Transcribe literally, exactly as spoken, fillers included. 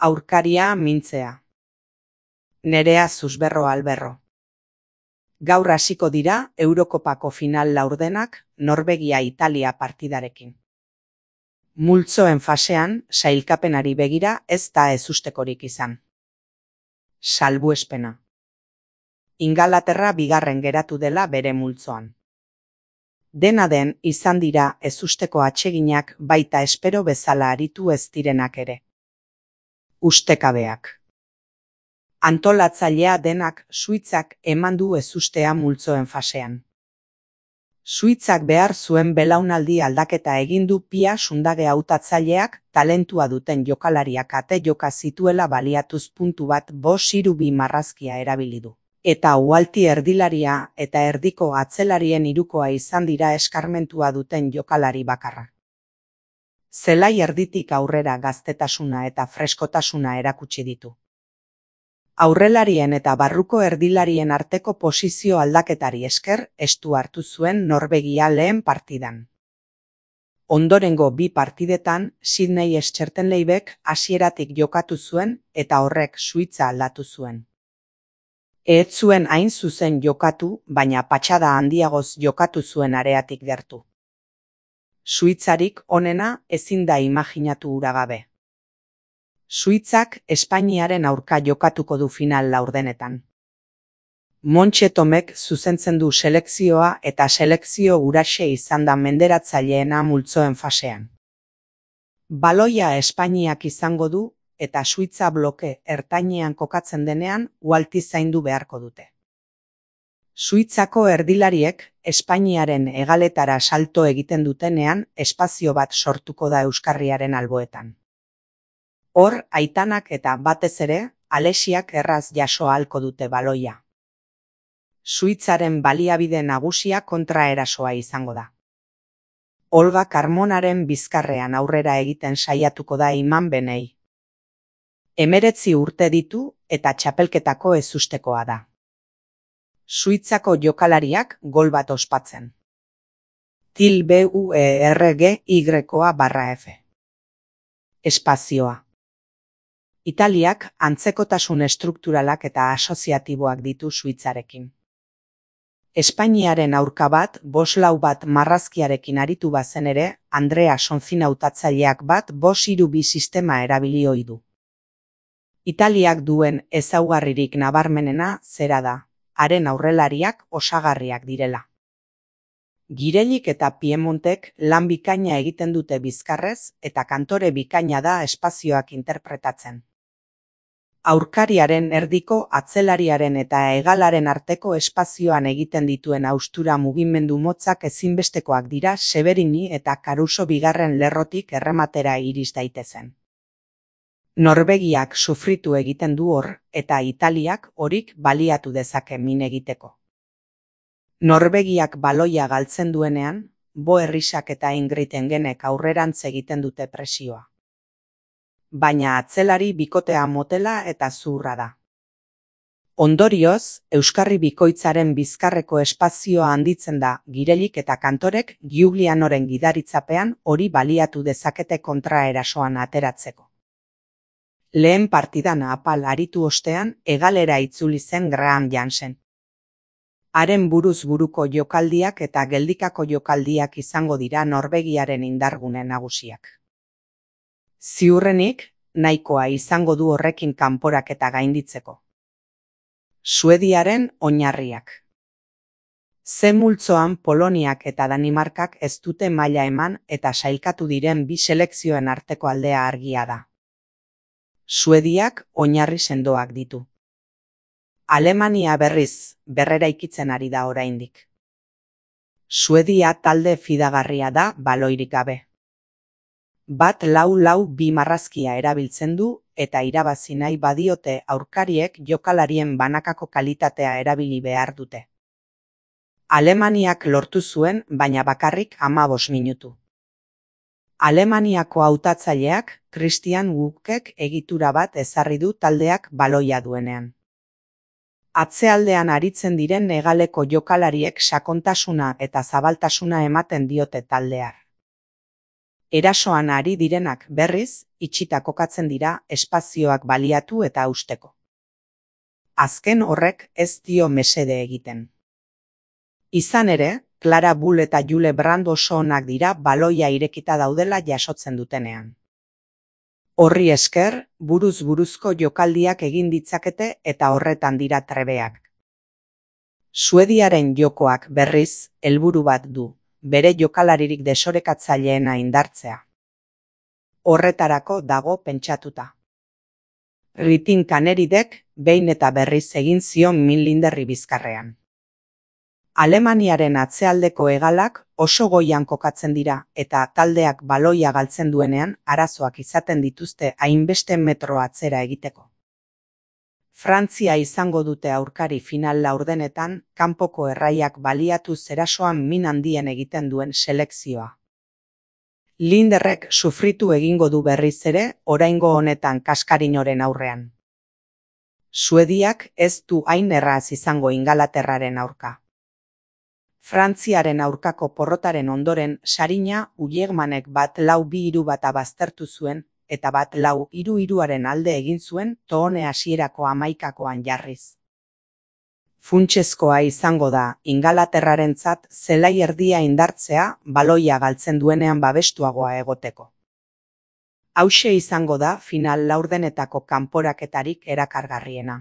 Aurkaria mintzea. Nerea Susberro Alberro. Gaur hasiko dira Eurokopako final laurdenak Norvegia-Italia partidarekin. Multzoen fasean sailkapenari begira ez da ezustekorik izan. Salbuespena. Ingalaterra bigarren geratu dela bere multzoan. Dena den izan dira ezusteko atseginak baita espero bezala aritu ez direnak ere. Ustekabeak. Antolatzailea denak Suitzak eman du ezustea multzoen fasean. Suitzak behar zuen belaunaldi aldaketa egin du Pia Sundage hautatzaileak talentua duten jokalariak ate joka zituela baliatuz puntu bat bost hiru bi marrazkia erabili du. Eta uhalti erdilaria eta erdiko atzelarien hirukoa izan dira eskarmentua duten jokalari bakarra. Zelai erditik aurrera gaztetasuna eta freskotasuna erakutsi ditu. Aurrelarien eta barruko erdilarien arteko posizio aldaketari esker estu hartu zuen Norvegia lehen partidan. Ondorengo bi partidetan Sydney Schmetterleibek hasieratik jokatu zuen eta horrek Suitza aldatu zuen. Ez zuen hain zuzen jokatu, baina patxada handiagoz jokatu zuen areatik gertu. Suitzarik onena ezin da imaginatu hura gabe. Suitzak Espainiaren aurka jokatuko du final laurdenetan. Montxe Tomek zuzentzen du selekzioa eta selekzio huraxe izan da menderatzaileena multzoen fasean. Baloia Espainiak izango du eta Suitza bloke ertainean kokatzen denean uhalti zaindu beharko dute. Suitzako erdilariek Espainiaren hegaletara salto egiten dutenean espazio bat sortuko da euskarriaren alboetan. Hor, aitanak eta batez ere, Alexiak erraz jaso ahalko dute baloia. Suitzaren baliabide nagusia kontraerasoa izango da. Olga Carmonaren bizkarrean aurrera egiten saiatuko da Iman Benei. Hemeretzi urte ditu eta txapelketako ezustekoa da. Suitzako jokalariak gol bat ospatzen. Til B U E R G Y barra F. Espazioa. Italiak antzekotasun estrukturalak eta asoziatiboak ditu Suitzarekin. Espainiaren aurka bat, boslau bat marrazkiarekin aritu bazen ere, Andrea Sonzin hautatzaileak bat bost hiru bi sistema erabili ohi du. Italiak duen ezaugarririk nabarmenena zera da, haren aurrelariak osagarriak direla. Girelik eta Piemontek lan bikaina egiten dute bizkarrez eta kantore bikaina da espazioak interpretatzen. Aurkariaren erdiko atzelariaren eta hegalaren arteko espazioan egiten dituen haustura mugimendu motzak ezinbestekoak dira Severini eta Caruso bigarren lerrotik errematera iris daitezen. Norvegiak sufritu egiten du hor eta Italiak horik baliatu dezake min egiteko. Norvegiak baloia galtzen duenean, Bo Herrisak eta Ingrid Engenek aurrerantz egiten dute presioa. Baina atzelari bikotea motela eta zuhurra da. Ondorioz, euskarri bikoitzaren bizkarreko espazioa handitzen da, Girelik eta Kantorek Giulianoren gidaritzapean hori baliatu dezakete kontraerasoan ateratzeko. Lehen partidan apal aritu ostean, hegalera itzuli zen Graham Jansen. Haren buruz buruko jokaldiak eta geldikako jokaldiak izango dira Norvegiaren indargune nagusiak. Ziurrenik, nahikoa izango du horrekin kanporaketa gainditzeko. Suediaren oinarriak. Ze multzoan Poloniak eta Danimarkak ez dute maila eman eta sailkatu diren bi selekzioen arteko aldea argia da. Suediak oinarri sendoak ditu. Alemania berriz, berreraikitzen ari da oraindik. Suedia talde fidagarria da baloirik gabe. Bat lau lau bi marrazkia erabiltzen du eta irabazi nahi badiote aurkariek jokalarien banakako kalitatea erabili behar dute. Alemaniak lortu zuen, baina bakarrik hamabost minutu. Alemaniako hautatzaileak Christian Wuckek egitura bat ezarri du taldeak baloia duenean. Atzealdean aritzen diren hegaleko jokalariek sakontasuna eta zabaltasuna ematen diote taldear. Erasoan ari direnak berriz, itxita kokatzen dira espazioak baliatu eta hausteko. Azken horrek ez dio mesede egiten. Izan ere, Clara Bull eta Jule Brand oso onak dira baloia irekita daudela jasotzen dutenean. Horri esker, buruz buruzko jokaldiak egin ditzakete eta horretan dira trebeak. Suediaren jokoak berriz, helburu bat du, bere jokalaririk desorekatzaileena indartzea. Horretarako dago pentsatuta. Ritin Kaneridek behin eta berriz egin zion min linderri bizkarrean. Alemaniaren atzealdeko hegalak oso goian kokatzen dira eta taldeak baloia galtzen duenean arazoak izaten dituzte hainbeste metro atzera egiteko. Frantzia izango dute aurkari final laurdenetan kanpoko erraiak baliatu zerasoan min handien egiten duen selekzioa. Linderrek sufritu egingo du berriz ere oraingo honetan Kaskarinoren aurrean. Suediak ez du hain erraz izango Ingalaterraren aurka. Frantziaren aurkako porrotaren ondoren Sarina Ullemanek bat lau bi hiru bata baztertu zuen eta bat lau hiru hiruaren alde egin zuen Toone hasierako hamaikakoan jarriz. Funtsezkoa izango da Ingalaterrarentzat zelai erdia indartzea baloia galtzen duenean babestuagoa egoteko. Hauxe izango da final laurdenetako kanporaketarik erakargarriena.